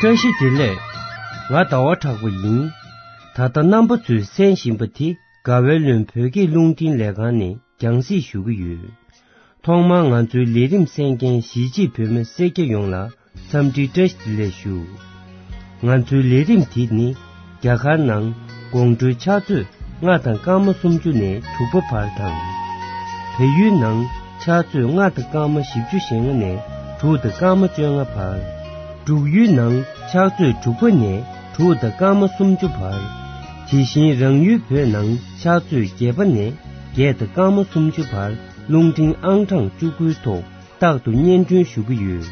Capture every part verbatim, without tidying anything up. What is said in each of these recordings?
བཀྲ་ཤིས་བདེ་ལེགས། ང་ཟླ་བ་གྲགས་པ་ཡིན། ད་ལྟ་རྣམ་པ་ཚོས་གསན་བཞིན་པ་དེ་དགའ་བའི་ལུང་བོད་སྐད་རླུང་འཕྲིན་ལས་ཁང་ནས་རྒྱང་སྲིང་ཞུ་གི་ཡོད། ཐོག་མར་ང་ཚོའི་ལས་རིམ་གསན་མཁན་གཞིས་བྱེས་བོད་མི་སེར་སྐྱ་ཡོངས་ལ་འཚམས་འདྲི་བཀྲ་ཤིས་བདེ་ལེགས་ཞུ། ང་ཚོའི་ལས་རིམ་དེ་ནི་རྒྱ་གར་ནང་དགོང་དྲོའི་ཕྱག་ཚོད་ལྔ་དང་སྐར་མ་སུམ་ཅུ་ནས་དྲུག་པ་བར་དང་། བལ་ཡུལ་ནང་ཕྱག་ཚོད་ལྔ་དང་སྐར་མ་བཞི་བཅུ་ཞེ་ལྔ་ནས་དྲུག་དང་སྐར་མ་བཅོ་ལྔ་བར། འབྲུག་ཡུལ་ནང་ཕྱག་ཚོད་དྲུག་པ་ནས་དྲུག་དང་སྐར་མ་སུམ་ཅུ་བར། དེ་བཞིན་རང་ཡུལ་བོད་ནང་ཕྱག་ཚོད་བརྒྱད་པ་ནས་བརྒྱད་དང་སྐར་མ་སུམ་ཅུ་བར་རླུང་འཕྲིན་ཨང་གྲངས་བཅུ་དགུའི་ཐོག་རྟག་ཏུ་སྙན་སྒྲོན་ཞུ་གི་ཡོད།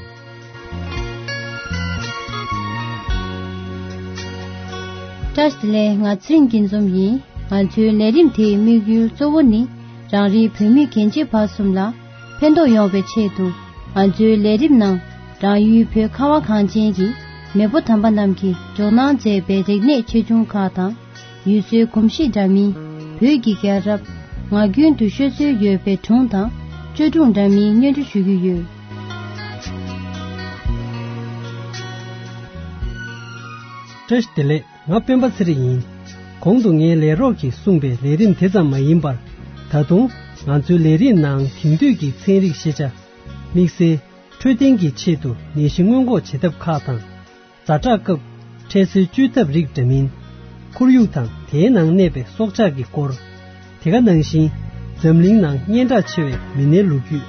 བཀྲ་ཤིས་བདེ་ལེགས། ང་ཚེ་རིང་སྐྱིད་འཛོམས་ཡིན། ང་ཚོའི་ལས་རིམ་དེའི་དམིགས་ཡུལ་གཙོ་བོ་ནི་རང་རེའི་བོད་མི་རྒན་བྱིས་བར་གསུམ་ལ་ཕན་ཐོགས་ཡོང་བའི་ཆེད་དུ། ང་ཚོའི་ལས་རིམ་ནང་རང་ཡུལ་བོད་ཁ་བ་གངས་ཅན་གྱི་མེས་པོ་དམ་པ་རྣམས་ཀྱིས་འཇོག་གནང་མཛད་པའི་རིག་གནས་ཆེ་ཆུང་ཁག་དང་། ཡུལ་སྲོལ་གོམས་གཤིས་འདྲ་མིན། བོད་ཀྱི་རྒྱལ་རབས། ངག་རྒྱུན་དུ་ཤོད་སྲོལ་ཡོད་པའི་སྒྲུང་དང་བཅོས་སྒྲུང་འདྲ་མིན་སྙན་སྒྲོན་ཞུ་རྒྱུ་ཡོད། བཀྲ་ཤིས་བདེ་ལེགས། ང་སྤེན་པ་ཚེ་རིང་ཡིན། གོང་དུ་ངའི་ལས་རོགས་ཀྱིས་གསུངས་པའི་ལས་རིམ་དེ་ཙམ་མ་ཡིན་པར། ད་དུང་ང་ཚོའི་ལས་རིམ་ནང་དེང་དུས་ཀྱི་ཚན་རིག་ཤེས་བྱ། དམིགས་བསལ་འཕྲོད་བསྟེན་གྱི་ཆེད་དུ་ནད་གཞི་སྔོན་འགོག་བྱེད་ཐབས་ཁག་དང་། ཛ་དྲག་སྐབས་འཕྲལ་སེལ་བཅོས་ཐབས་རིགས་འདྲ་མིན། ཁོར་ཡུག་དང་དེའི་ནང་གནས་པའི་སྲོག་ཆགས་ཀྱི་སྐོར། དེ་ག་ནང་བཞིན་འཛམ་གླིང་ནང་སྙན་གྲགས་ཆེ་བའི་མི་སྣའི་ལོ་རྒྱུས།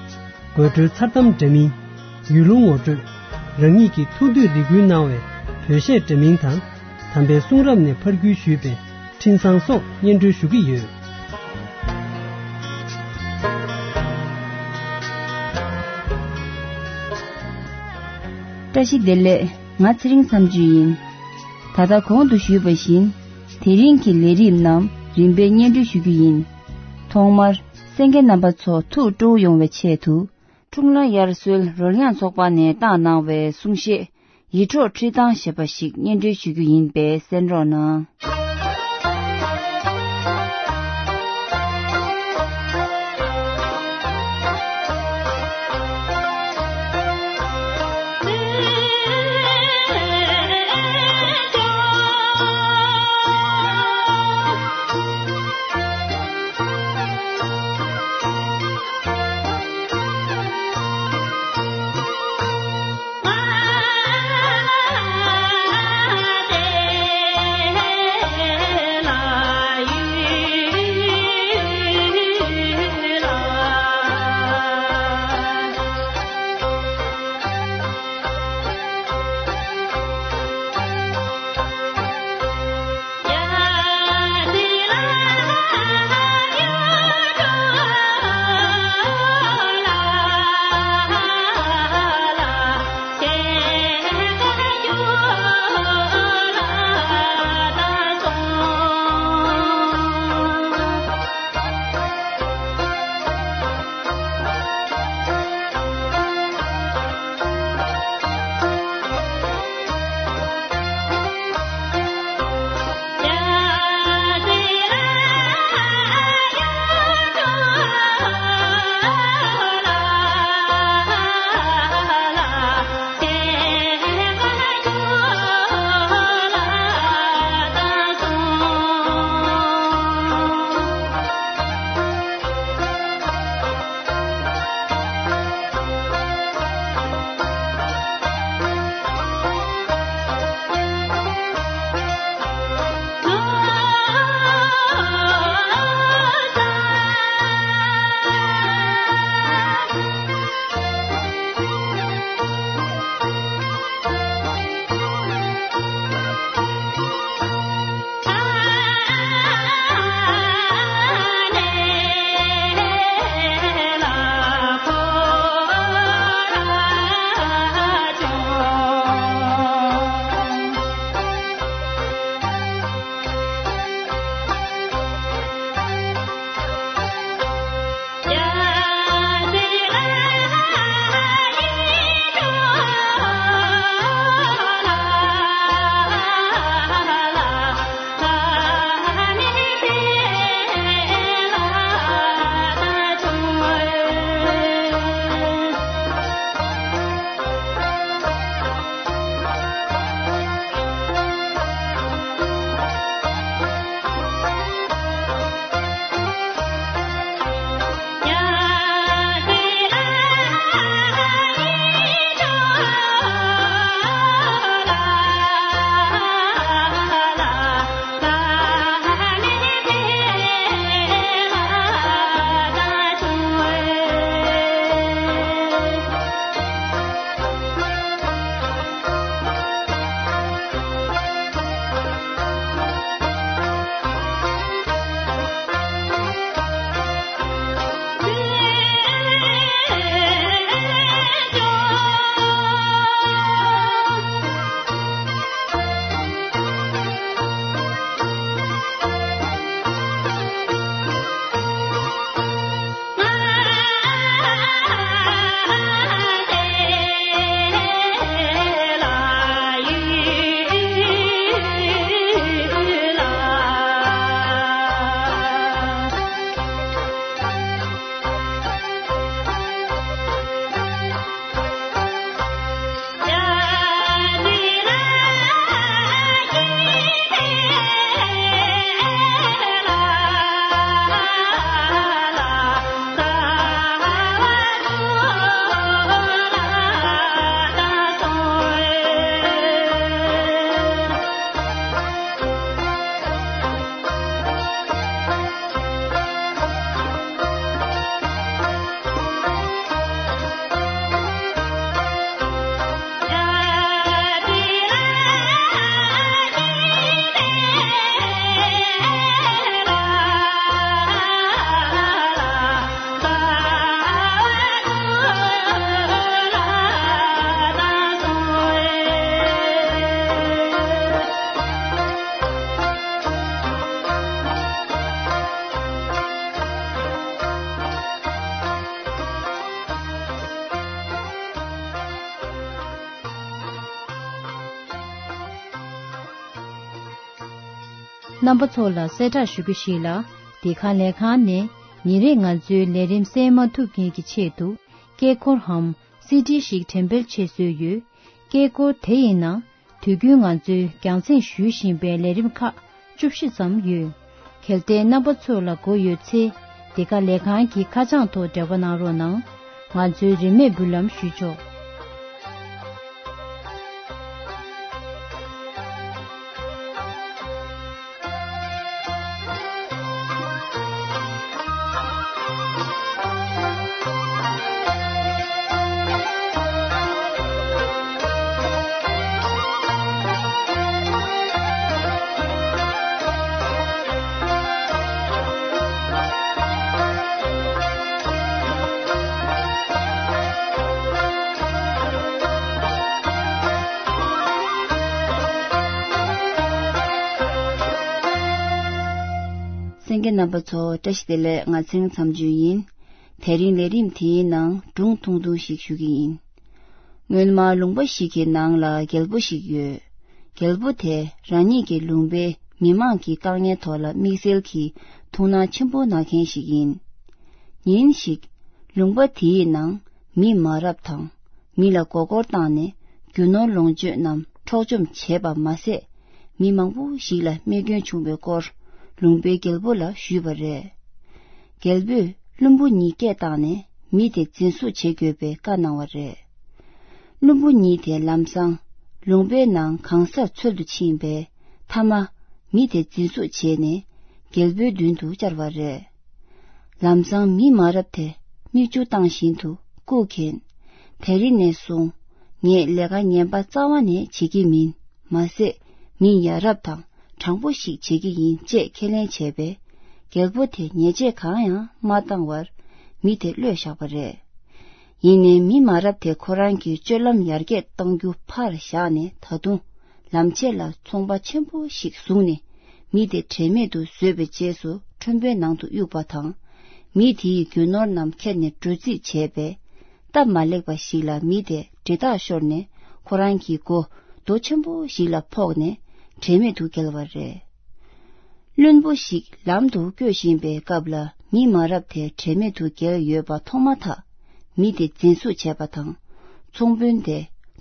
དགོད་བྲོའི་མཚར་གཏམ་འདྲ་མིན། ཡུལ་ལུང་ངོ་སྤྲོད། རང་ཉིད་ཀྱི་ཐུགས་འདོད་རེ་སྐུལ་གནང་བའི་བོད་གཞས་འདྲ་མིན་དང་། དམ་པའི་གསུང་རབ་ནས་ཕར་བརྒྱུད་ཞུས་པའི་འཕྲིན་བཟང་སོགས་སྙན་སྒྲོན་ཞུ་གི་ཡོད། བཀྲ་ཤིས་བདེ་ལེགས། ང་ཚེ་རིང་མཚམས་གཅོད་ཡིན། ད་ལྟ་གོང་དུ་ཞུས་པ་བཞིན། དེ་རིང་གི་ལས་རིམ་རྣམས་རིམ་པས་སྙན་སྒྲོན་ཞུ་རྒྱུ་ཡིན། ཐོག་མར་གསན་མཁན་རྣམ་པ་ཚོ་ཐུགས་སྤྲོ་བོ་ཡོང་བའི་ཆེད་དུ། འཁྲུངས་ལྷ་དབྱར་གསོལ་རོལ་དབྱངས་ཚོགས་པ་ནས་བཏང་གནང་བའི་གསུང་བཤད། ཡིད་འཕྲོག་ཁྲིད་སྟངས་ཞེས་པ་ཞིག་སྙན་སྒྲོན་ཞུ་རྒྱུ་ཡིན་པས་གསན་རོགས་གནང་། རྣམ་པ་ཚོ་ལ་གསལ་བསྒྲགས་ཞུ་རྒྱུ་ཞིག་ལ། འདི་ག་ལས་ཁང་ནས་ཉིན་རེ་ང་ཚོའི་ལས་རིམ་གསན་མ་ཐུབ་མཁན་གྱི་ཆེད་དུ། སྐད་འཁོར་འམ་སི་ཌི་ཞིག་འགྲེམས་སྤེལ་བྱེད་སྲོལ་ཡོད། སྐད་འཁོར་དེ་ཡི་ནང་དུས་རྒྱུན་ང་ཚོས་རྒྱང་སྲིང་ཞུ་བཞིན་པའི་ལས་རིམ་ཁག་བཅུ་བཞི་ཙམ་ཡོད། གལ་ཏེ་རྣམ་པ་ཚོ་ལ་མགོ་ཡོད་ཚེ། འདི་ག་ལས་ཁང་གི་ཁ་བྱང་ཐོག་འབྲེལ་བ་གནང་རོགས་གནང་། ང་ཚོའི་རིན་མེད་འབུལ་ལམ་ཞུས་ཆོག། གསན་མཁན་རྣམ་པ་ཚོ་བཀྲ་ཤིས་བདེ་ལེགས། ང་ཚེ་རིང་མཚམས་གཅོད་ཡིན། དེ་རིང་ལས་རིམ་དེའི་ནང་སྒྲུང་ཐུང་ཐུང་ཞིག་ཞུ་གི་ཡིན། སྔོན་མ་ལུང་པ་ཞིག་གི་ནང་ལ་རྒྱལ་པོ་ཞིག་ཡོད། རྒྱལ་པོ་དེ་རང་ཉིད་ཀྱི་ལུང་པའི་མི་མང་གི་དཀའ་ངལ་ཐོག་ལ་དམིགས་བསལ་གྱི་ཐུགས་སྣང་ཆེན་པོ་གནང་མཁན་ཞིག་ཡིན། ཉིན་ཞིག་ལུང་པ་དེའི་ནང་མི་མ་རབས་དང་མི་ལ་མགོ་སྐོར་བཏང་ནས་རྒྱུ་ནོར་ལོངས་སྤྱོད་རྣམས་འཕྲོག་བཅོམ་བྱས་པ་མ་ཟད། མི་མང་པོ་ཞིག་ལ་རྨས་སྐྱོན་བྱུང་བའི་སྐོར་ལུང་པའི་རྒྱལ་པོ་ལ་ཞུས་པ་རེད། རྒྱལ་པོས་བླུན་པོ་གཉིས་སྐད་བཏང་ནས་མི་དེ་འཛིན་བཟུང་བྱེད་དགོས་པའི་བཀའ་གནང་བ་རེད། བླུན་པོ་གཉིས་དེ་ལམ་སང་ལུང་པའི་ནང་གང་སར་འཚོལ་དུ་ཕྱིན་པས། མཐའ་མ་མི་དེ་འཛིན་བཟུང་བྱས་ནས་རྒྱལ་པོའི་མདུན་དུ་བཅར་བ་རེད། ལམ་སང་མི་མ་རབས་དེ་མིག་ཆུ་བཏང་བཞིན་དུ་སྐུ་མཁྱེན། དེ་རིང་ནས་བཟུང་ངས་ལས་ཀ་ངན་པ་རྩ་བ་ནས་བྱེད་ཀྱི་མིན། མ་ཟད་མི་ཡ་རབས་དང་དྲང་པོ་ཞིག་བྱེད་ཀྱི་ཡིན་ཅེས་ཁས་ལེན་བྱས་པས། རྒྱལ་པོ་དེ་ཉེས་ཆད་གང་ཡང་མ་བཏང་བར་མི་དེ་གློད་བཞག་པ་རེད། ཡིན་ནའི་མི་མ་རབས་དེ་ཁོ་རང་གི་སྤྱོད་ལམ་ཡར་རྒྱས་གཏང་རྒྱུ་ཕར་བཞག་ནས། ད་དུང་ལམ་ཆས་ལ་ཚོང་པ་ཆེན་པོ་ཞིག་བཟུང་ནས་མི་དེ་དྲན་མེད་དུ་བཟོས་པའི་རྗེས་སུ་ཁྲོན་པའི་ནང་དུ་གཡུགས་པ་དང་། མི་དེའི་རྒྱུ་ནོར་རྣམས་ཁྱེར་ནས་འགྲོ་རྩིས་བྱས་པས། སྟབས་མ་ལེགས་པ་ཞིག་ལ་མི་དེ་འདྲེ་ཐག་ཤོར་ནས་ཁོ་རང་གི་མགོ་རྡོ་ཆེན་པོ་ཞིག་ལ་ཕོག་ནས་དྲན་མེད་དུ་བརྒྱལ་བ་རེད། བླུན་པོ་ཞིག་ལམ་དུ་སྐྱོད་བཞིན་པའི་སྐབས་ལ་མི་མ་རབས་དེ་དྲན་མེད་དུ་བརྒྱལ་ཡོད་པ་མཐོང་མ་ཐག་མི་དེ་འཛིན་བཟུང་བྱས་པ་དང་། ཚོང་དཔོན་དེ་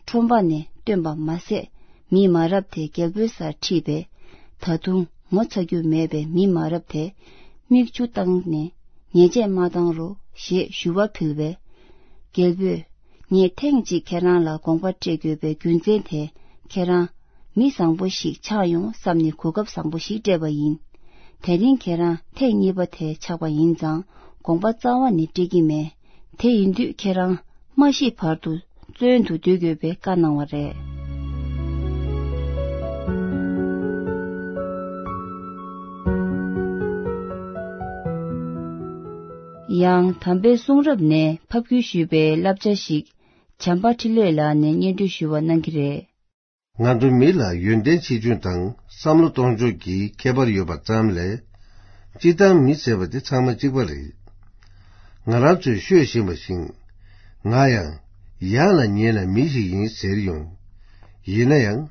ཁྲོན་པ་ནས་བཏོན་པ་མ་ཟད། མི་མ་རབས་དེ་རྒྱལ་པོའི་སར་ཁྲིད་པས། ད་དུང་ངོ་ཚ་རྒྱུ་མེད་པའི་མི་མ་རབས་དེ་མིག་ཆུ་བཏང་ནས་ཉེས་ཆད་མ་བཏང་རོགས་ཞེས་ཞུ་བ་ཕུལ་བས། རྒྱལ་པོས། ངས་ཐེངས་གཅིག་ཁྱེད་རང་ལ་དགོངས་པ་སྤྲད་དགོས་པའི་རྒྱུ་མཚན་དེ། ཁྱེད་རང་མི་བཟང་པོ་ཞིག་ཆགས་ཡོང་བསམ་ནས་གོ་སྐབས་བཟང་པོ་ཞིག་སྤྲད་པ་ཡིན། དེ་རིང་ཁྱེད་རང་ཐེངས་གཉིས་པ་དེ་ཆགས་པ་ཡིན་ཙང་དགོངས་པ་རྩ་བ་ནས་སྤྲད་ཀྱི་མེད། དེ་ཡིན་དུས་ཁྱེད་རང་མ་ཤི་བར་དུ་བཙོན་དུ་སྡོད་དགོས་པའི་བཀའ་གནང་བ་རེད། ཡང་དམ་པའི་གསུང་རབ་ནས་ཕབ་བསྒྱུར་ཞུས་པའི་བསླབ་བྱ་ཞིག་བྱམས་པ་འཕྲིན་ལས་ལགས་ནས་སྙན་སྒྲོན་ཞུ་བ་གནང་གི་རེད། ང་ཚོ་མི་ལ་ཡོན་ཏན་ཆེ་ཆུང་དང་བསམ་བློ་གཏོང་ཕྱོགས་ཀྱི་ཁྱད་པར་ཡོད་པ་ཙམ་ལས། སྤྱིར་བཏང་མི་ཟེར་བ་དེ་ཚང་མ་གཅིག་པ་རེད། ང་རང་ཚོས་ཤོད་བཞིན་པ་བཞིན། ང་ཡང་ཡར་ལ་ཉལ་ན་མི་ཞིག་ཡིན་ཟེར་ཡོང་། ཡིན་ན་ཡང་།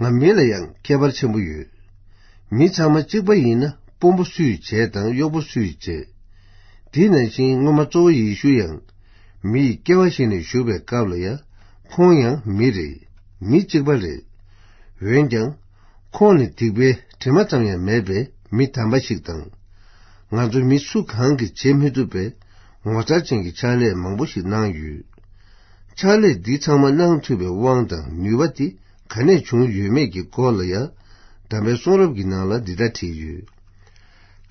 ང་མི་ལ་ཡང་ཁྱད་པར་ཆེན་པོ་ཡོད། མི་ཚང་མ་གཅིག་པ་ཡིན་ན་དཔོན་པོ་སུས་བྱས་དང་གཡོག་པོ་སུས་བྱས། དེ་ནང་བཞིན་སྔོན་མ་གཙོ་བོ་ཡེ་ཤུ་ཡང་མི་ཡི་སྐྱེ་བ་བཞེས་ནས་བཞུགས་པའི་སྐབས་ལ་ཡང་ཁོང་ཡང་མི་རེད། མི་གཅིག་པ་རེད། འོན་ཀྱང་། ཁོང་ནི་སྡིག་པའི་དྲི་མ་ཙམ་ཡང་མེད་པའི་མི་དམ་པ་ཞིག་དང་། ང་ཚོ་མི་སུ་གང་གིས་བྱེད་མི་ཐུབ་པའི་ངོ་མཚར་ཅན་གྱི་ཕྱག་ལས་མང་པོ་ཞིག་གནང་ཡོད། ཕྱག་ལས་འདི་ཚང་མ་གནང་ཐུབ་པའི་དབང་དང་ནུས་པ་དེ་ག་ནས་བྱུང་ཡོད་མེད་ཀྱི་སྐོར་ལ་ཡང་། དམ་པའི་གསུང་རབ་ཀྱི་ནང་ལ་འདི་ལྟར་བྲིས་ཡོད།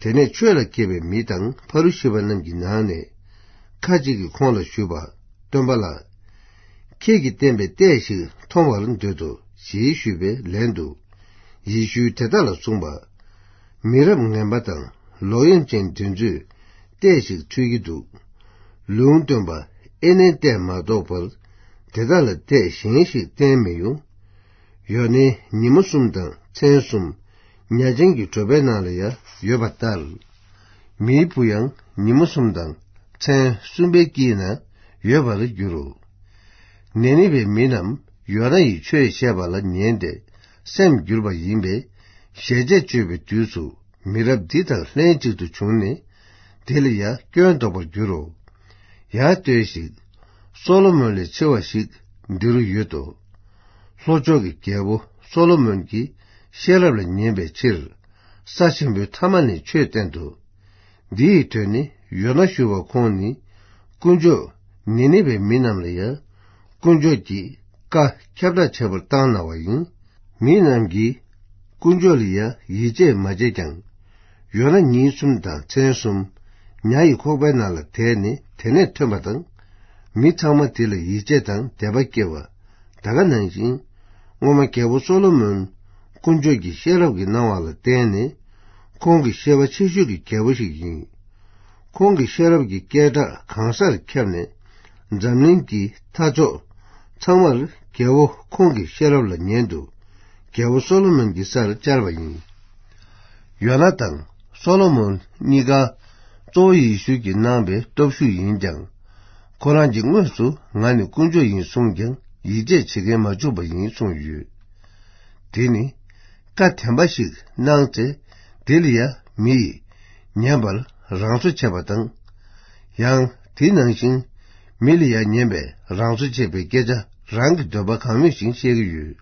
དེ་ནས་ཆོས་ལ་མཁས་པའི་མི་དང་ཕ་རུ་ཤི་པ་རྣམས་ཀྱི་ནང་ནས་ཁ་ཅིག་གིས་ཁོང་ལ་ཞུས་པ། སྟོན་པ་ལགས། ཁྱེད་ཀྱིས་བསྟན་པའི་ལྟས་ཤིག་མཐོང་བར་འདོད་དོ། ཞེས་ཞུས་པའི་ལན་དུ། ཡེ་ཤུས་དེ་དག་ལ་གསུངས་པ། མི་རབས་ངན་པ་དང་ལོག་གཡེམ་ཅན་འདི་ཚོས་ལྟས་ཤིག་འཁྲུལ་གྱི་འདུག། ལུང་སྟོན་པ་ཨེ་ནས་ལྟས་མ་གཏོགས་པར་དེ་དག་ལ་ལྟས་གཞན་ཞིག་བསྟན་མི་ཡོང་། ཡོ་ནའི་ཉིན་མོ་གསུམ་དང་མཚན་གསུམ་ཉ་ཆེན་གྱི་གྲོད་པའི་ནང་ལ་ཡང་ཡོད་པ་ལྟར། མིའི་བུ་ཡང་ཉིན་མོ་གསུམ་དང་མཚན་གསུམ་པའི་དཀྱིལ་ན་ཡོད་པར་འགྱུར་རོ། ནེ་ནི་བའི་མི་རྣམས་ཡོ་ན་ཡི་ཆོས་བཤད་པ་ལ་ཉན་ཏེ་སེམས་བསྒྱུར་བ་ཡིན་པས། ཞལ་ཆད་གཅོད་པའི་དུས་སུ་མི་རབས་འདི་དང་ལྷན་ཅིག་ཏུ་བྱུང་ནས། དེ་ལ་ཡང་སྐྱོན་འདོགས་པར་འགྱུར་རོ། ཡང་ལྟོས་ཤིག། སོ་ལོ་མོན་ལས་ཆེ་བ་ཞིག་འདི་རུ་ཡོད་དོ། ལྷོ་ཕྱོགས་ཀྱི་རྒྱལ་པོ་སོ་ལོ་མོན་གྱིས་ཤེས་རབ་ལ་ཉན་པའི་ཕྱིར། ས་ཆེན་པོའི་མཐའ་མ་ནས་ཆོས་བསྟན་ཏོ། འདི་ཡི་དོན་ནི། ཡོ་ན་ཞུ་བ་ཁོང་ནི་དཀོན་མཆོག་ནི་ནི་བའི་མི་རྣམས་ལ་ཡང་དཀོན་མཆོག་གིས་བཀའ་ཁྱབ་བསྒྲགས་བྱེད་པར་བཏང་གནང་བ་ཡིན། མི་རྣམས་ཀྱིས་དཀོན་མཆོག་ལ་ཡང་ཡིད་ཆེས་མ་བྱས་ཀྱང་། ཡོ་ན་ཉིན་གསུམ་དང་མཚན་གསུམ་ཉ་ཡི་ཁོག་པའི་ནང་ལ་དེད་ནས་དེ་ནས་ཐོན་པ་དང་། མི་ཚང་མ་དེ་ལ་ཡིད་ཆེས་དང་དད་པ་སྐྱེས་པ། ད་ག་ནང་བཞིན། སྔོན་མ་རྒྱལ་པོ་སོ་ལོ་མོན་དཀོན་མཆོག་གི་ཤེས་རབ་ཀྱི་གནང་བ་ལ་བརྟེན་ནས། ཁོང་གི་ཤེས་པ་ཆེ་ཤོས་ཀྱི་རྒྱལ་པོ་ཞིག་ཡིན། ཁོང་གི་ཤེས་རབ་ཀྱི་སྐད་གྲགས་གང་སར་ཁྱབ་ནས། འཛམ་གླིང་གི་མཐའ་ཕྱོགས་ཚང་མར་རྒྱལ་པོ་ཁོང་གི་ཤེས་རབ་ལ་ཉན་དུ། རྒྱལ་པོ་སོ་ལོ་མོན་གྱི་སར་བཅར་བ་ཡིན། ཡོ་ན་དང་སོ་ལོ་མོན་གཉིས་ཀ་གཙོ་བོ་ཡེ་ཤུ་གིས་གནང་པའི་སྟོབས་ཤུགས་ཡིན་ཀྱང་། ཁོ་རང་གིས་དངོས་སུ་ང་ནི་དཀོན་མཆོག་ཡིན་གསུངས་ཀྱང་ཡིད་ཆེས་བྱེད་མཁན་མ་བྱུང་བ་ཡིན་གསུངས་ཡོད། དེ་ནི་བཀའ་དམ་པ་ཞིག་གནང་ཚེ། དེ་ལ་ཡང་མི་ཡིས་ཉན་པར་རང་བཟོ་བྱས་པ་དང་། ཡང་དེ་ནང་བཞིན་མི་ལ་ཡང་ཉན་པའི་རང་བཟོ་བྱས་པའི་སྐད་ཆ་རང་གི་འདོད་པ་གང་མོས་བཞིན་བཤད་ཀྱི་ཡོད།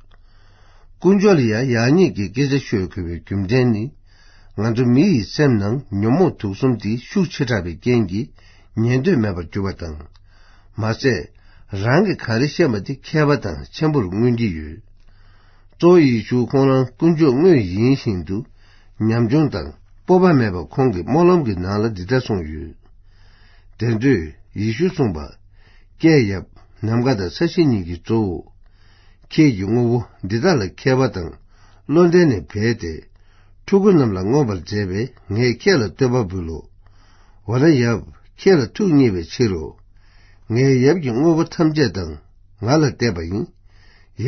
དཀོན་མཆོག་ལ་ཡང་ཡག་ཉེས་ཀྱི་སྐད་ཆ་ཤོད་དགོས་པའི་རྒྱུ་མཚན་ནི། ང་ཚོ་མི་ཡི་སེམས་ནང་ཉོན་མོངས་དུག་གསུམ་དེ་ཤུགས་ཆེ་དྲགས་པའི་རྐྱེན་གྱིས་ཉན་འདོད་མེད་པར་གྱུར་པ་དང་། མ་ཟད། རང་གིས་ག་རེ་བཤད་པ་དེ་མཁས་པ་དང་ཆེན་པོར་མངོན་གྱི་ཡོད། གཙོ་བོ་ཡེ་ཤུ་ཁོང་རང་དཀོན་མཆོག་དངོས་ཡིན་བཞིན་དུ། ཉམ་ཆུང་དང་སྤོབས་པ་མེད་པ་ཁོང་གི་སྨོན་ལམ་གྱི་ནང་ལ་འདི་ལྟར་གསུངས་ཡོད། དེ་དུས་ཡེ་ཤུ་གསུངས་པ། ཀྱེ་ཡབ། ནམ་མཁའ་དང་ས་གཞི་གཉིས་ཀྱི་གཙོ་བོ། ཁྱེད་ཀྱི་དངོས་པོ་འདི་དག་ལ་མཁས་པ་དང་བློ་ལྡན་ནི་འབད་དེ། ཕྲུ་གུ་རྣམས་ལ་མངོན་པར་མཛད་པས་ངས་ཁྱེད་ལ་བསྟོད་པ་འབུལ་ལོ། འོ་ན་ཡབ། ཁྱེད་ལ་ཐུགས་མཉེས་པའི་ཕྱིར་རོ། ངའི་ཡབ་ཀྱི་དངོས་པོ་ཐམས་ཅད་དང་ང་ལ་གཏད་པ་ཡིན།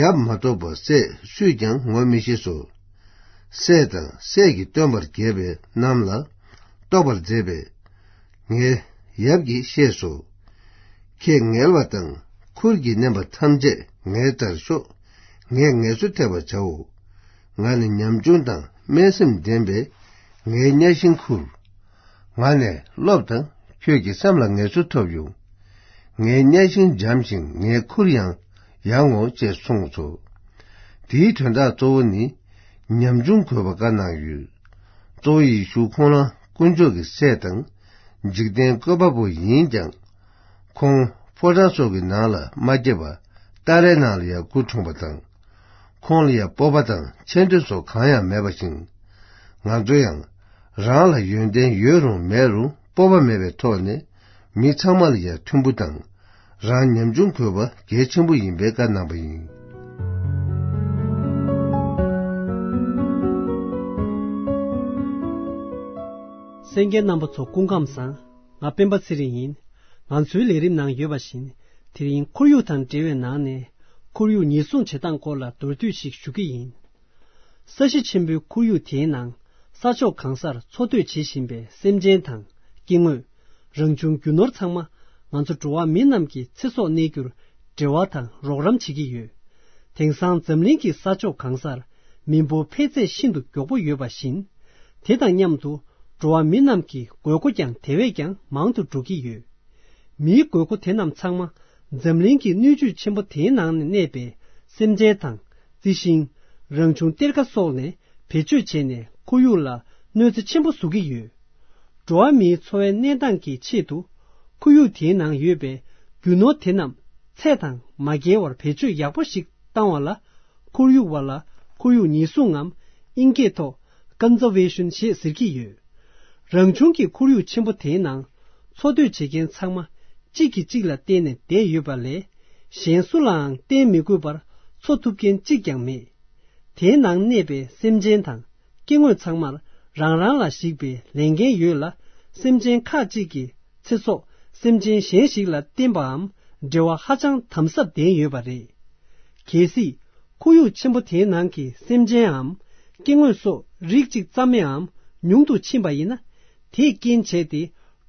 ཡབ་མ་གཏོགས་པ་སྲས་སུས་ཀྱང་ངོ་མི་ཤེས་སོ། སྲས་དང་སྲས་ཀྱིས་སྟོན་པར་རྒྱལ་བའི་རྣམས་ལ་རྟོགས་པར་མཛད་པས། ངའི་ཡབ་ཀྱིས་ཤེས་སོ། ཁྱེད་ངལ་བ་དང་ཁུར་གྱིས་མནན་པ་ཐམས་ཅད་ངའི་རྩར་ཤོག། ངས་ངལ་གསོ་ཐེབས་པར་བྱའོ། ང་ནི་ཉམ་ཆུང་དང་དམན་སེམས་ལྡན་པས། ངའི་གཉའ་ཤིང་ཁུར། ང་ནས་སློབས་དང་ཁྱོད་ཀྱི་སེམས་ལ་ངལ་གསོ་ཐོབ་ཡོང་། ངའི་གཉའ་ཤིང་འཇམ་ཞིང་ངའི་ཁུར་ཡང་ཡང་ངོ་ཅེས་གསུངས་སོ། དེའི་དོན་དག་གཙོ་བོ་ནི། ཉམ་ཆུང་དགོས་པ་བཀའ་གནང་ཡོད། གཙོ་བོ་ཡེ་ཤུ་ཁོང་རང་དཀོན་མཆོག་གི་སྲས་དང་། འཇིག་རྟེན་བཀོད་པ་པོ་ཡིན་ཀྱང་། ཁོང་ཕོ་བྲང་སོགས་ཀྱི་ནང་ལ་མ་སྐྱེས་པ། སྟ་རེའི་ནང་ལ་ཡང་སྐུ་འཁྲུངས་པ་དང་། ཁོང་ལ་ཡང་སྤོབས་པ་དང་ཆེ་འདོད་སོགས་གང་ཡང་མེད་པ་བཞིན། ང་ཚོ་ཡང་རང་ལ་ཡོན་ཏན་ཡོད་རུང་མེད་རུང་སྤོབས་པ་མེད་པའི་ཐོག་ནས་མི་ཚང་མ་ལ་ཡང་མཐུན་པོ་དང་། རང་ཉམ་ཆུང་དགོས་པ་གལ་ཆེན་པོ་ཡིན་པའི་བཀའ་གནང་བ་ཡིན། གསན་མཁན་རྣམ་པ་ཚོ་སྐུ་ཁམས་བཟང་། ང་སྤེན་པ་ཚེ་རིང་ཡིན། ང་ཚོའི་ལས་རིམ་ནང་ཡོད་པ་བཞིན། དེ་རིང་ཁོར་ཡུག་དང་འབྲེལ་བའི་ནང་ནས། ཁོར་ཡུག་ཉེན་སྲུང་བྱེད་སྟངས་སྐོར་ལ་མདོར་བསྡུས་ཤིག་ཞུ་གི་ཡིན། ས་གཞི་ཆེན་པོའི་ཁོར་ཡུག་དེའི་ནང་ས་ཕྱོགས་གང་སར་འཚོ་སྡོད་བྱེད་བཞིན་པའི་སེམས་ཅན་དང་སྐྱེ་དངོས། རང་བྱུང་རྒྱུ་ནོར་ཚང་མ་ང་ཚོ་འགྲོ་བ་མི་རྣམས་ཀྱི་ཚེ་སྲོག་གནས་རྒྱུར་འབྲེལ་བ་དང་རོགས་རམ་བྱེད་ཀྱི་ཡོད། དེང་སང་འཛམ་གླིང་གི་ས་ཕྱོགས་གང་སར་མི་འབོར་འཕེལ་ཚད་ཤིན་ཏུ་མགྱོགས་པོ་ཡོད་པ་བཞིན། དེ་དང་མཉམ་དུ་འགྲོ་བ་མི་རྣམས་ཀྱི་དགོས་མཁོ་ཀྱང་དེ་བས་ཀྱང་མང་དུ་འགྲོ་གི་ཡོད། མིའི་དགོས་མཁོ་དེ་རྣམས་ཚང་མ་འཛམ་གླིང་གི་སྣོད་བཅུད་ཆེན་པོ་དེའི་ནང་ནས་གནས་པའི་སེམས་ཅན་དང་རྩི་ཤིང་། རང་བྱུང་གཏེར་ཁ་སོགས་ནས་བེད་སྤྱོད་བྱས་ནས་ཁོར་ཡུག་ལ་གནོད་འཚེ་ཆེན་པོ་བཟོ་གི་ཡོད། འགྲོ་བ་མིའི་འཚོ་བའི་གནས་སྟངས་ཀྱི་ཆེད་དུ་ཁོར་ཡུག་དེའི་ནང་ཡོད་པའི་རྒྱུ་ནོར་དེ་རྣམས་ཚད་དང་མ་འགལ་བར་བེད་སྤྱོད་ཡག་པོ་ཞིག་བཏང་བ་ལ། ཁོར་ཡུག་པ་ལ་ཁོར་ཡུག་ཉེན་སྲུང་ངམ་དབྱིན་སྐད་ཐོག་Conservation ཞེས་ཟེར་གྱི་ཡོད། རང་བྱུང་གི་ཁོར་ཡུག་ཆེན་པོ་དེའི་ནང་འཚོ་སྡོད་བྱེད་མཁན་ཚང་མ་གཅིག་གིས་གཅིག་ལ་བརྟེན་ནས་བསྡད་ཡོད་པ་ལས། གཞན་སུ་ལའང་བརྟེན་མི་དགོས་པར་འཚོ་ཐུབ་མཁན་གཅིག་ཀྱང་མེད། དེའི་ནང་གནས་པའི་སེམས་ཅན་དང་སྐྱེ་དངོས་ཚང་མར་རང་རང་ལ་གཞིགས་པའི་ལས་འགན་ཡོད་ལ། སེམས་ཅན་ཁག་ཅིག་གི་ཚེ་སྲོག་སེམས་ཅན་གཞན་ཞིག་ལ་བརྟེན་པའམ་འབྲེལ་བ་ཧ་ཅང་དམ་ཟབ་ལྡན་ཡོད་པ་རེད། གལ་སྲིད་ཁོར་ཡུག་ཆེན་པོ་དེའི་ནང་གི་སེམས་ཅནའམ་སྐྱེ་དངོས་སོགས་རིགས་གཅིག་ཙམ་ཡང་ཉུང་དུ་ཕྱིན་པ་ཡིན་ན། དེས་རྐྱེན་བྱས་ཏེ་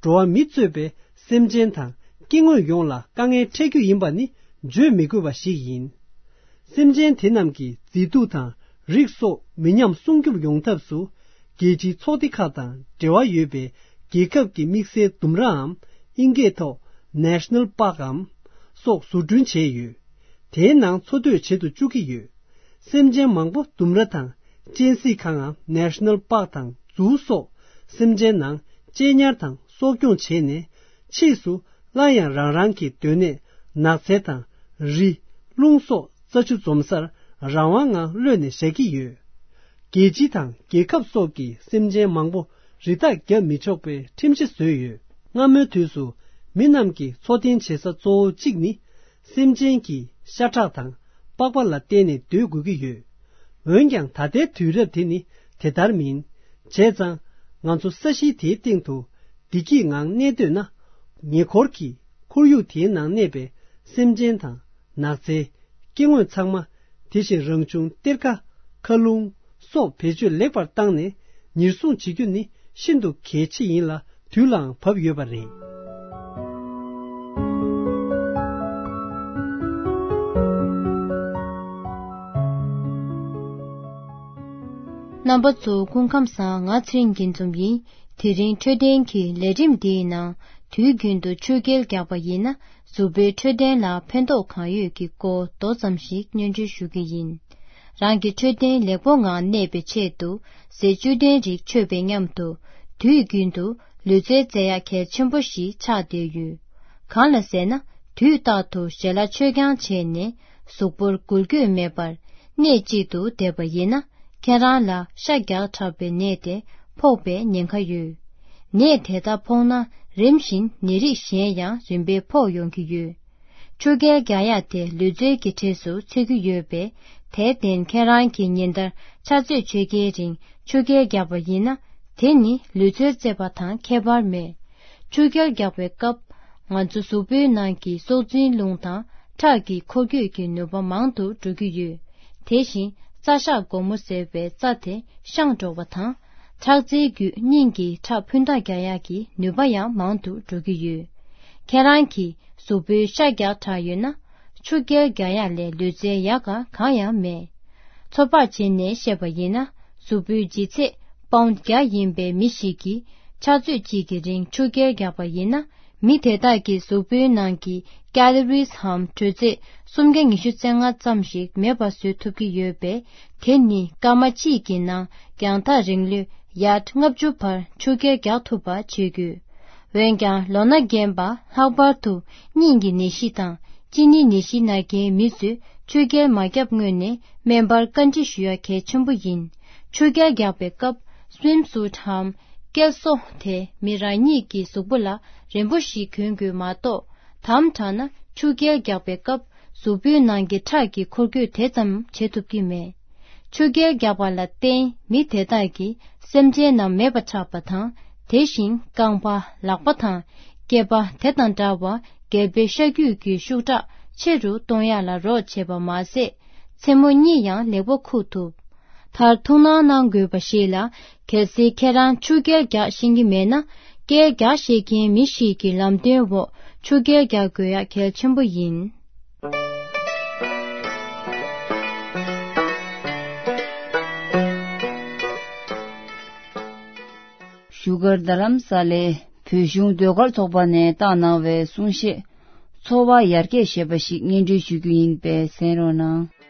འགྲོ་བ་མི་གཙོས་པའི་སེམས་ཅན་དང་སྐྱེ་དངོས་ཡོངས་ལ་དཀའ་ངལ་འཕྲད་རྒྱུ་ཡིན་པ་ནི་བརྗོད་མི་དགོས་པ་ཞིག་ཡིན། སེམས་ཅན་དེ་རྣམས་ཀྱི་མཛེས་སྡུག་དང་ རིགས་སོགས་མི་ཉམས་སྲུང་སྐྱོབ་ཡོང་ཐབས་སུ། རྒྱལ་སྤྱིའི་ཚོགས་སྡེ་ཁག་དང་འབྲེལ་བ་ཡོད་པའི་རྒྱལ་ཁབ་ཀྱི་དམིགས་བསལ་ལྡུམ་རའམ། ཨིན་སྐད་ཐོག་National Parkའམ་སོགས་བཟོ་སྐྲུན་བྱས་ཡོད། དེའི་ནང་འཚོ་སྡོད་བྱེད་དུ་བཅུག་གི་ཡོད། སེམས་ཅན་མང་པོ་ལྡུམ་ར་དང་གཅན་གཟན་ཁང་ངམ་National Parkདང་ཛུའུ་སོགས་སེམས་ཅན་ནང་གཅེས་ཉར་དང་གསོ་སྐྱོང་བྱས་ནས། ཕྱིས་སུ་སླར་ཡང་རང་རང་གི་སྡོད་གནས་ནགས་ཚལ་དང་རི། རླུང་སོགས་རྩྭ་ཆུ་འཛོམས་སར་རང་དབང་ངང་གློད་ནས་བཞག་གི་ཡོད། རྒྱལ་སྤྱི་དང་རྒྱལ་ཁབ་སོགས་ཀྱིས་སེམས་ཅན་མང་པོ་རི་དྭགས་བརྒྱབ་མི་ཆོག་པའི་ཁྲིམས་གཞི་བཟོས་ཡོད། སྔ་མོའི་དུས་སུ་མི་རྣམས་ཀྱི་འཚོ་རྟེན་བྱེད་ས་གཙོ་བོ་གཅིག་ནི། སེམས་ཅན་གྱི་ཤ་ཁྲག་དང་པགས་པ་ལ་བརྟེན་ནས་སྡོད་དགོས་ཀྱི་ཡོད། འོན་ཀྱང་ད་ལྟའི་དུས་རབས་དེ་ནི་དེ་ལྟར་མིན། བྱས་ཙང་། ང་ཚོ་ས་གཞི་དེའི་སྟེང་དུ་བདེ་སྐྱིད་ངང་གནས་སྡོད་ན། ཉེ་འཁོར་གྱི་ཁོར་ཡུག་དེའི་ནང་གནས་པའི་སེམས་ཅན་དང་ནགས་ཚལ། སྐྱེ་དངོས་ཚང་མ། དེ་བཞིན་རང་བྱུང་གཏེར་ཁ། མཁའ་རླུང་སོགས་བེད་སྤྱོད་ལེགས་པར་བཏང་ནས་ཉེར་སྲུང་བྱེད་རྒྱུ་ནི་ཤིན་ཏུ་གལ་ཆེ་ཡིན་ལ། དུས་ལའང་བབ་ཡོད་པ་རེད། རྣམ་པ་ཚོ་སྐུ་ཁམས་བཟང་། ང་ཚེ་རིང་སྐྱིད་འཛོམས་ཡིན། དེ་རིང་འཕྲོད་བསྟེན་གྱི་ལས་རིམ་འདིའི་ནང་དུས་རྒྱུན་དུ་ཆུ་རྐྱལ་རྒྱག་པ་ཡིན་ན་གཟུགས་པོའི་འཕྲོད་བསྟེན་ལ་ཕན་ཐོགས་གང་ཡོད་ཀྱི་སྐོར་མདོ་ཙམ་ཞིག་སྙན་སྒྲོན་ཞུ་གི་ཡིན། རང་གི་འཕྲོད་བསྟེན་ལེགས་པོ་ངང་གནས་པའི་ཆེད་དུ་ཟས་བཅུད་ལྡན་རིགས་མཆོད་པའི་མཉམ་དུ་དུས་རྒྱུན་དུ་ལུས་རྩལ་རྩེ་ཡག་གལ་ཆེན་པོ་ཞིག་ཆགས་བསྡད་ཡོད། གང་ལ་ཟེར་ན། དུས་རྟག་ཏུ་ཞལ་ལག་མཆོད་རྐྱང་བྱས་ནས་གཟུགས་པོར་འགུལ་སྐྱོད་མེད་པར་གནས་གཅིག་ཏུ་བསྡད་པ་ཡིན་ན། ཁྱེད་རང་ལ་ཤ་རྒྱགས་དྲགས་པའི་ནད་དེ་ཕོག་པའི་ཉེན་ཁ་ཡོད། ནད་དེ་ལྟར་ཕོག་ན་རིམ་བཞིན་ནད་རིགས་གཞན་ཡང་རིམ་པས་ཕོག་ཡོང་གི་ཡོད། ཆུ་རྐྱལ་རྒྱག་ཡག་དེ་ལུས་རྩལ་གྱི་གྲས་སུ་ཚུད་ཀྱི་ཡོད་པས། དེར་བརྟེན་ཁྱེད་རང་གིས་ཉིན་ལྟར་ཕྱག་ཚོད་ཕྱེད་ཀའི་རིང་ཆུ་རྐྱལ་རྒྱག་པ་ཡིན་ན། དེ་ནི་ལུས་རྩལ་རྩེད་པ་དང་ཁྱད་པར་མེད། ཆུ་རྐྱལ་རྒྱག་པའི་སྐབས། ང་ཚོ་གཟུགས་པོའི་ནང་གི་སྲོག་འཛིན་རླུང་དང་ཁྲག་གི་འཁོར་སྐྱོད་ཀྱི་ནུས་པ་མང་དུ་འགྲོ་གི་ཡོད། དེ་བཞིན་རྩ་ཤ་སྒོར་མོ་ཟེར་བའི་རྩ་དེ་བཤང་འགྲོ་བ་དང་། ཁྲག་རྩའི་བརྒྱུད་སྙིང་གི་ཁྲག་འཕུར་མདའ་རྒྱག་ཡག་གི་ནུས་པ་ཡང་མང་དུ་འགྲོ་གི་ཡོད། ཁྱེད་རང་གི་གཟུགས་པོའི་ཤ་རྒྱགས་དྲགས་ཡོད་ན། ཆུ་རྐྱལ་རྒྱག་ཡག་ལས་ལུས་རྩལ་ཡག་ག་གང་ཡང་མེད། ཚོད་དཔག་བྱས་ནས་བཤད་པ་ཡིན་ན། གཟུགས་པོའི་ལྗིད་ཚད་པའུན་བརྒྱ་ཡིན་པའི་མི་ཞིག་གིས་ཕྱག་ཚོད་གཅིག་གི་རིང་ཆུ་རྐྱལ་རྒྱག་པ་ཡིན་ན། མི་དེ་དག་གི་གཟུགས་པོའི་ནང་གི་ཀེ་ལོ་རིས་འམ་དྲོད་ཚད་སུམ་བརྒྱ་ཉི་ཤུ་རྩ་ལྔ་ཙམ་ཞིག་མེད་པ་བཟོ་ཐུབ་ཀྱི་ཡོད་པས། དེ་ནི་སྐར་མ་གཅིག་གི་ནང་རྒྱང་ཐག་རིང་ལོས་ཡར་ལྔ་བཅུ་བར་ཆུ་རྐྱལ་རྒྱག་ཐུབ་པ་བྱེད་དགོས། འོན་ཀྱང་ལོ་ན་རྒན་པ། ལྷག་པར་དུ་སྙིང་གི་ནད་གཞི་དང་གཅིན་སྙི་ནད་གཞི་ན་མཁན་མི་ཚོས་ཆུ་རྐྱལ་མ་བརྒྱབ་སྔོན་ནས་སྨན་པར་བཀའ་འདྲི་ཞུ་ཡ་གལ་ཆེན་པོ་ཡིན། ཆུ་རྐྱལ་རྒྱག་པའི་སྐབས་སུའིམ་སུཊ་འམ་རྐྱལ་སོ་དེ་མི་རང་ཉིད་ཀྱི་གཟུགས་པོ་ལ་རན་པོ་ཞིག་གྱོན་དགོས་མ་གཏོགས། དམ་དྲགས་ན་ཆུ་རྐྱལ་རྒྱག་པའི་སྐབས་གཟུགས་པོའི་ནང་གི་ཁྲག་གི་འཁོར་སྐྱོད་དེ་ཙམ་བྱེད་ཐུབ་ཀྱི་མེད། ཆུ་རྐྱལ་རྒྱག་པ་ལ་བརྟེན་མི་དེ་དག་གིས་སེམས་ཅན་རྣམས་མེད་པ་ཆགས་པ་དང་། དེ་བཞིན་རྐང་པ། ལག་པ་དང་སྐེད་པ་དེ་དང་འདྲ་བར་སྒལ་པའི་ཤ་རྒྱུས་ཀྱི་ཤུགས་དྲག་ཆེ་རུ་གཏོང་ཡག་ལ་རོགས་བྱེད་པ་མ་ཟད། མཚན་མོ་གཉིད་ཡང་ལེགས་པོ་ཁུག་ཐུབ། མཐར་ཐུགས་སྣང་གནང་དགོས་པ་ཞིག་ལ། གལ་སྲིད་ཁྱེད་རང་ཆུ་རྐྱལ་རྒྱག་ཤེས་ཀྱི་མེད་ན། རྐྱལ་རྒྱག་ཤེས་མཁན་མི་ཞིག་གི་ལམ་སྟོན་འོག་ཆུ་རྐྱལ་རྒྱག་དགོས་ཡག་གལ་ཆེན་པོ་ཡིན། བཞུགས་སྒར་རྡ་རམ་ས་ལའི་བོད་གཞུང་ཟློས་གར་ཚོགས་པ་ནས་བཏང་གནང་བའི་གསུང་བཤད། འཚོ་བ་ཡར་རྒྱས་ཞེས་པ་ཞིག་སྙན་སྒྲོན་ཞུ་རྒྱུ་ཡིན་པས་གསན་རོགས་གནང་།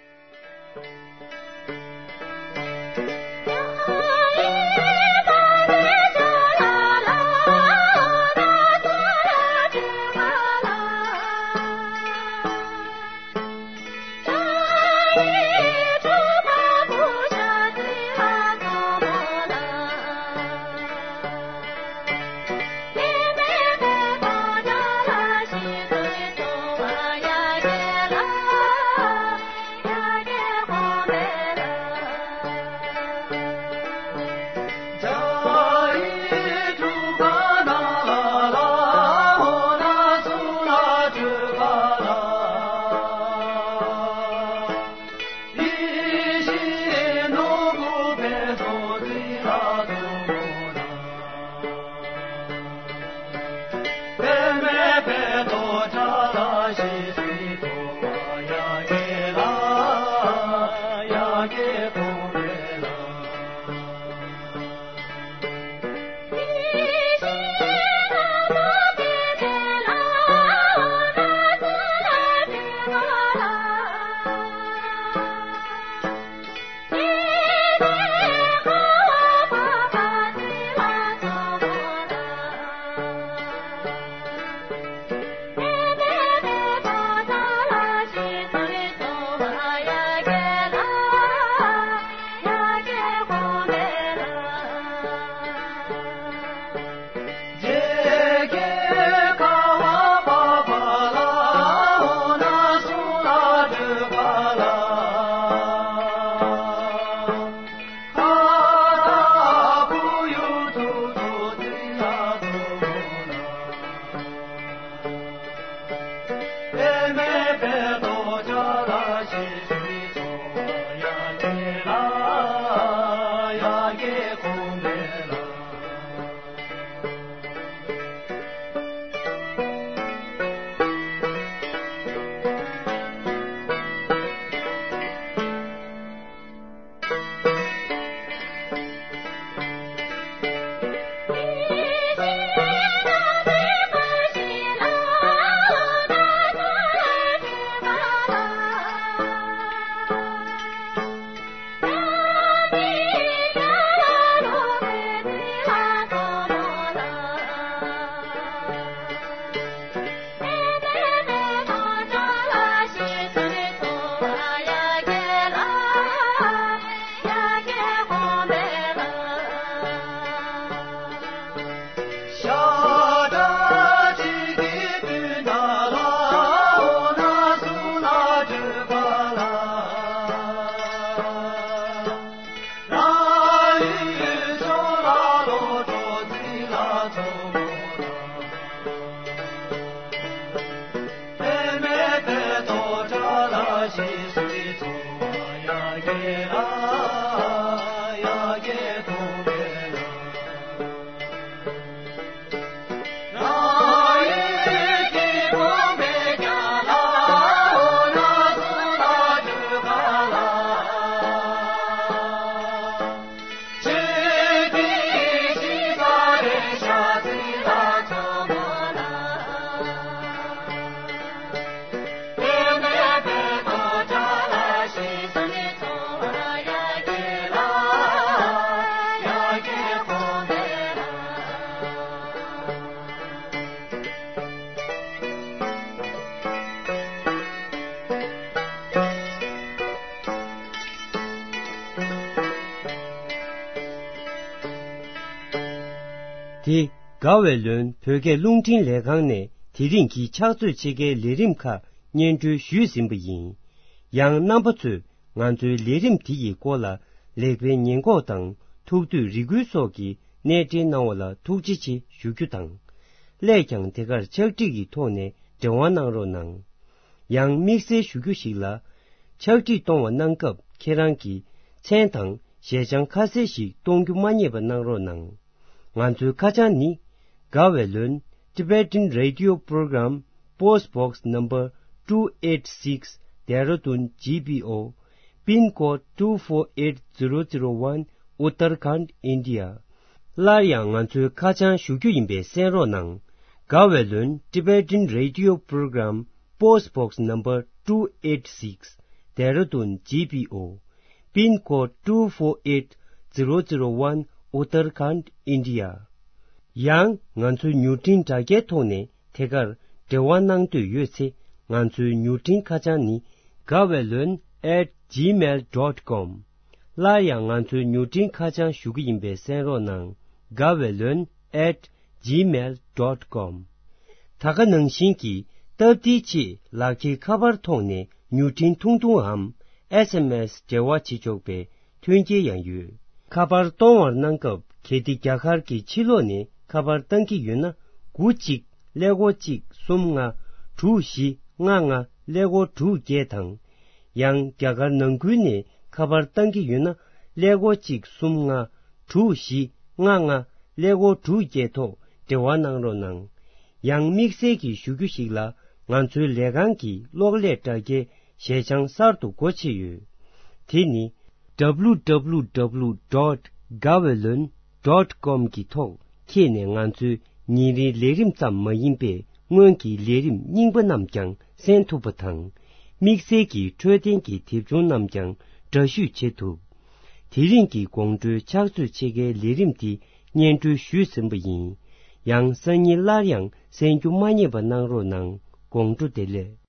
དེ། དགའ་བའི་ལོན་བོད་སྐད་རླུང་འཕྲིན་ལས་ཁང་ནས་དེ་རིང་གི་ཕྱག་ཚོད་ཕྱེད་ཀའི་ལས་རིམ་ཁག་སྙན་སྒྲོན་ཞུས་ཟིན་པ་ཡིན། ཡང་རྣམ་པ་ཚོས་ང་ཚོའི་ལས་རིམ་དེ་ཡི་སྐོར་ལ་ལེགས་སྤེལ་ཉེས་འགོག་དང་ཐུགས་འདོད་རེ་སྐུལ་སོགས་ཀྱི་གནས་འབྲེལ་གནང་བ་ལ་ཐུགས་རྗེ་ཆེ་ཞུ་རྒྱུ་དང་། སླད་ཀྱང་དེ་གར་ཕྱག་བྲིས་ཀྱི་ཐོག་ནས་འབྲེལ་བ་གནང་རོགས་གནང་། ཡང་དམིགས་བསལ་ཞུ་རྒྱུ་ཞིག་ལ། ཕྱག་བྲིས་གཏོང་བ་གནང་སྐབས་ཁྱེད་རང་གི་མཚན་དང་ཞལ་བྱང་ཁ་གསལ་ཞིག་གཏོང་རྒྱུ་མ་བསྙེལ་བ་གནང་རོགས་གནང་། ང་ཚོའི་ཁ་བྱང་ནི། དགའ་བའི་ལོན། Tibetan Radio Program, Post Box Number two eight six, Dehradun G P O, Pin Code two four eight zero zero one, Uttarakhand, India. སླར་ཡང་ང་ཚོའི་ཁ་བྱང་ཞུ་རྒྱུ་ཡིན་པས་གསན་རོགས་གནང་། དགའ་བའི་ལོན། Tibetan Radio Program, Post Box Number two eight six, Dehradun G P O, Pin Code two four eight zero zero one, Uttarakhand, India. ཡང་ང་ཚོའི་མྱུར་འཕྲིན་དྲ་རྒྱའི་ཐོག་ནས་དེ་གར་འབྲེལ་བ་གནང་འདོད་ཡོད་ཚེ། ང་ཚོའི་མྱུར་འཕྲིན་ཁ་བྱང་ནི། དགའ་བའི་ལོན་at gmail dot com། སླར་ཡང་ང་ཚོའི་མྱུར་འཕྲིན་ཁ་བྱང་ཞུ་གི་ཡིན་པས་གསན་རོགས་གནང་། དགའ་བའི་ལོན་at gmail dot com། ད་ག་ནང་བཞིན་གྱི་སྟབས་བདེའི་ཆེད་ལག་འཁྱེར་ཁ་པར་ཐོག་ནས་མྱུར་འཕྲིན་ཐུང་ཐུང་འམ་S M S འབྲེལ་བ་བྱེད་ཆོག་པའི་མཐུན་རྐྱེན་ཡང་ཡོད། ཁ་པར་གཏོང་བར་གནང་སྐབས་གལ་ཏེ་རྒྱ་གར་གྱི་ཕྱི་ལོགས་ནས་ཁ་པར་བཏང་གི་ཡོད་ན། དགུ་གཅིག་ཀླད་ཀོར་གཅིག་གསུམ་ལྔ་དྲུག་བཞི་ལྔ་ལྔ་ཀླད་ཀོར་དྲུག་བརྒྱད་དང་། ཡང་རྒྱ་གར་ནང་ཁུལ་ནས་ཁ་པར་བཏང་གི་ཡོད་ན། ཀླད་ཀོར་གཅིག་གསུམ་ལྔ་དྲུག་བཞི་ལྔ་ལྔ་ཀླད་ཀོར་དྲུག་བརྒྱད་ཐོག་འབྲེལ་བ་གནང་རོགས་གནང་། ཡང་དམིགས་བསལ་གྱི་ཞུ་རྒྱུ་ཞིག་ལ། ང་ཚོའི་ལས་ཁང་གི་གློག་ཀླད་དྲ་རྒྱའི་ཞལ་བྱང་གསར་དུ་སྒོ་ཕྱེ་ཡོད། དེ་ནི། W W W dot gavelon dot com གི་ཐོག་འཁྱེར་ནས་ང་ཚོའི་ཉིན་རེའི་ལས་རིམ་ཙམ་མ་ཡིན་པའི་སྔོན་གྱི་ལས་རིམ་རྙིང་པ་རྣམས་ཀྱང་གསན་ཐུབ་པ་དང་། དམིགས་བསལ་གྱི་འཕྲོད་བསྟེན་གྱི་དེབ་ཆུང་རྣམས་ཀྱང་འདྲ་བཤུས་བྱེད་ཐུབ། དེ་རིང་གི་དགོང་དྲོའི་ཕྱག་ཚོད་ཕྱེད་ཀའི་ལས་རིམ་འདི་སྙན་སྒྲོན་ཞུས་ཟིན་པ་ཡིན། ཡང་སང་ཉིན་སླར་ཡང་གསན་རྒྱུ་མ་བསྙེལ་བ་གནང་རོགས་གནང་། དགོང་དྲོ་བདེ་ལེགས།